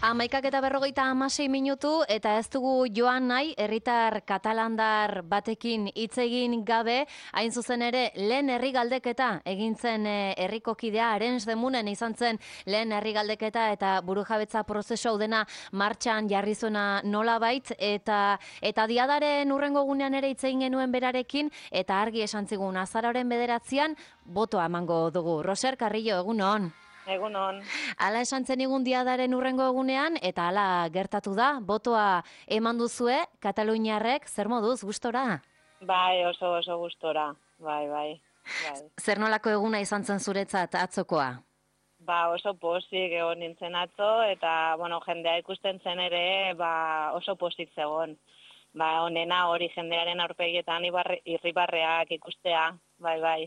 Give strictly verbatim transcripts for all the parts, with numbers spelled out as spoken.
Hamaikak eta berrogeita hamasei minutu eta ez dugu joan nahi herritar katalandar batekin hitz egin gabe, hain zuzen ere lehen herri galdeketa egin zen herriko kidea, Arens de Munen izan zen lehen herri galdeketa eta burujabetza prozesu hau dena martxan jarri zuena nolabait, eta eta diadaren hurrengo gunean ere hitz egin genuen berarekin eta argi esan zigun azaroaren bederatzian botoa emango dugu. Roser Carrillo, egunon. Egunon. Hala esan zen egun diadaren hurrengo egunean, eta hala gertatu da, botoa eman duzue, Kataluniarrek, zer moduz, gustora? Bai, oso oso gustora, bai, bai. bai. Zer nolako eguna izan zen zuretzat atzokoa? Ba, oso pozik egon nintzen atzo, eta, bueno, jendea ikusten zen ere, ba, oso pozik zegoen. Ba, onena hori jendearen aurpegietan irribarreak ikustea, bai, bai.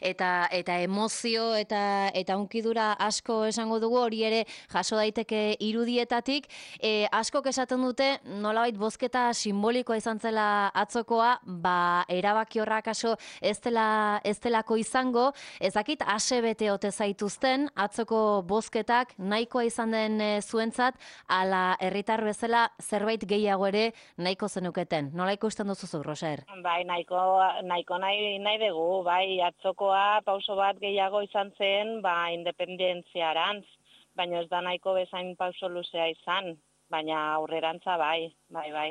Eta eta emozio eta eta unkidura asko esango dugu, hori ere jaso daiteke irudietatik. E, askok esaten dute nolabait bozketa simbolikoa izan zela atzokoa, ba erabaki horrak aso ez dela ez delako izango. Ezakit ase bete ote zaituzten atzoko bozketak nahikoa izan den e, zuentzat, ala herritar bezala zerbait gehiago ere nahiko zenuketen. Nola ikusten duzu zu, Roser? Bai, nahiko nahiko nahi nahi dugu, bai. Bai, atzokoa pauso bat gehiago izan zen, ba, independentziarantz, baina ez da nahiko bezain pauso luzea izan, baina aurrerantza bai, bai, bai.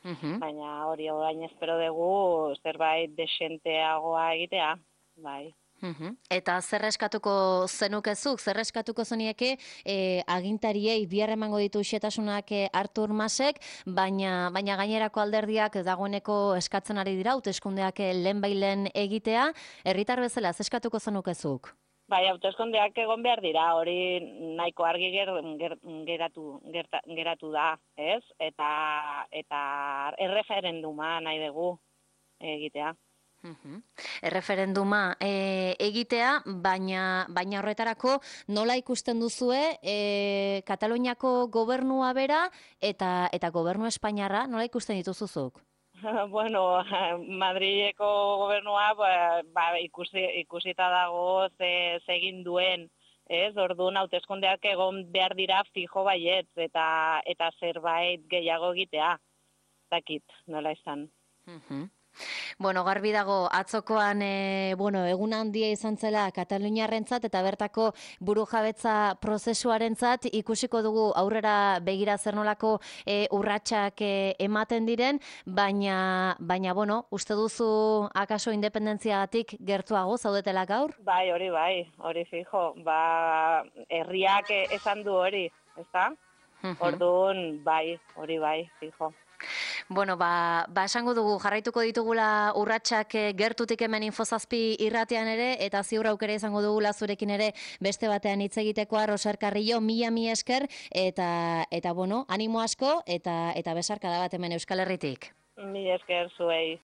Uh-huh. Baina hori orain espero dugu zerbait desenteagoa egitea, bai. Uhum. Eta zer eskatuko zenukezuk, zer eskatuko zenieke e, agintariei bihar emango ditu xetasunak e, Artur Masek, baina, baina gainerako alderdiak dagoeneko eskatzen ari dira, hauteskundeak lehenbailen egitea, herritar bezala zer eskatuko zenukezuk? Bai, hauteskundeak egon behar dira, hori nahiko argi ger, ger, geratu, gerta, geratu da, ez? Eta, eta erreferenduma nahi dugu egitea. Uhum. Erreferenduma e, egitea, baina, baina horretarako nola ikusten duzue e, Kataluniako gobernua bera eta eta gobernu Espainiarra nola ikusten dituzuzuk? Bueno, Madrileko gobernua ba, ba, ikusi, ikusita dago ze, ze egin duen, ez? Orduan hauteskundeak egon behar dira fijo baietz eta eta zerbait gehiago egitea. Dakit, nola izan. Uhum. Bueno, garbi dago atzokoan e, bueno, egun handia izan zela Kataluniarrentzat eta bertako burujabetza prozesuarentzat, ikusiko dugu aurrera begira zer nolako e, urratsak e, ematen diren, baina baina bueno, uste duzu akaso independentziagatik gertuago zaudetela gaur? Bai, hori bai, hori fijo. Ba, herriak esan du hori, ezta? Orduan bai, hori bai, fijo. Bueno, ba, ba esango dugu jarraituko ditugula urratsak gertutik hemen Infozazpi irratean ere, eta ziur aukera izango dugula zurekin ere beste batean hitz egitekoa. Roser Carrillo, mila mi esker, eta eta bueno, animo asko eta eta besarkada bat hemen Euskal Herritik. Mila esker zuei.